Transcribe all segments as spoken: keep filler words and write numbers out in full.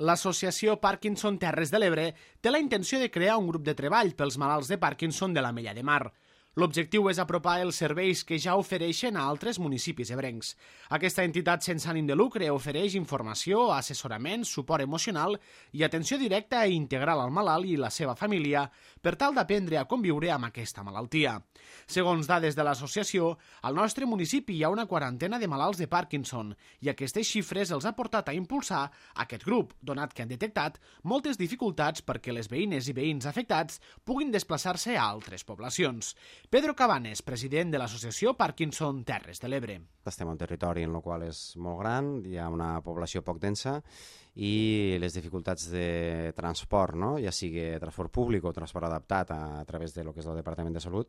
L'associació Parkinson Terres de l'Ebre té la intenció de crear un grup de treball pels malalts de Parkinson de la Mella de Mar. L'objectiu és apropar els serveis que ja ofereixen a altres municipis ebrencs. Aquesta entitat sense ànim de lucre ofereix informació, assessorament, suport emocional i atenció directa i integral al malalt i la seva família per tal d'aprendre a conviure amb aquesta malaltia. Segons dades de l'associació, al nostre municipi hi ha una quarantena de malalts de Parkinson i aquestes xifres els ha portat a impulsar aquest grup, donat que han detectat moltes dificultats perquè les veïnes i veïns afectats puguin desplaçar-se a altres poblacions. Pedro Cabanes, president de l'associació Parkinson Terres de l'Ebre. Estem en un territori en el qual és molt gran, hi ha una població poc densa i les dificultats de transport, no? Ja sigui transport públic o transport adaptat a, a través de lo que és el Departament de Salut,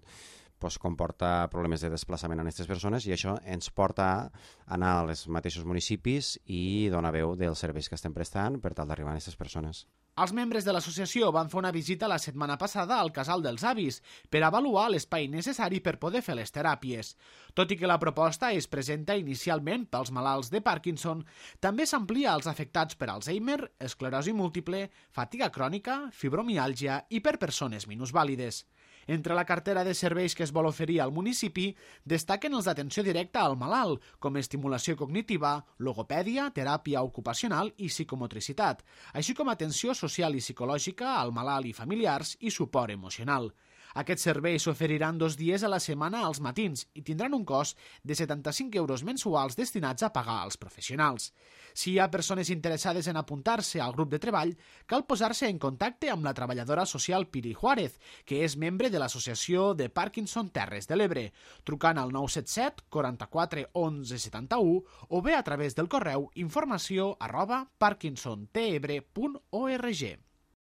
pues, comporta problemes de desplaçament a aquestes persones i això ens porta a anar als mateixos municipis i donar veu dels serveis que estem prestant per tal d'arribar a aquestes persones. Els membres de l'associació van fer una visita la setmana passada al Casal dels Avis per avaluar l'espai necessari per poder fer les teràpies. Tot i que la proposta es presenta inicialment pels malalts de Parkinson, també s'amplia als afectats per Alzheimer, esclerosi múltiple, fatiga crònica, fibromiàlgia i per persones minusvàlides. Entre la cartera de serveis que es vol oferir al municipi destaquen els d'atenció directa al malalt, com estimulació cognitiva, logopèdia, teràpia ocupacional i psicomotricitat, així com atenció social i psicològica al malalt i familiars i suport emocional. Aquests serveis s'oferiran dos dies a la setmana als matins i tindran un cost de setanta-cinc euros mensuals destinats a pagar als professionals. Si hi ha persones interessades en apuntar-se al grup de treball, cal posar-se en contacte amb la treballadora social Piri Juárez, que és membre de l'associació de Parkinson Terres de l'Ebre, trucant al nou set set quaranta-quatre onze setanta-u o bé a través del correu informació arroba parkinson tebre punt org.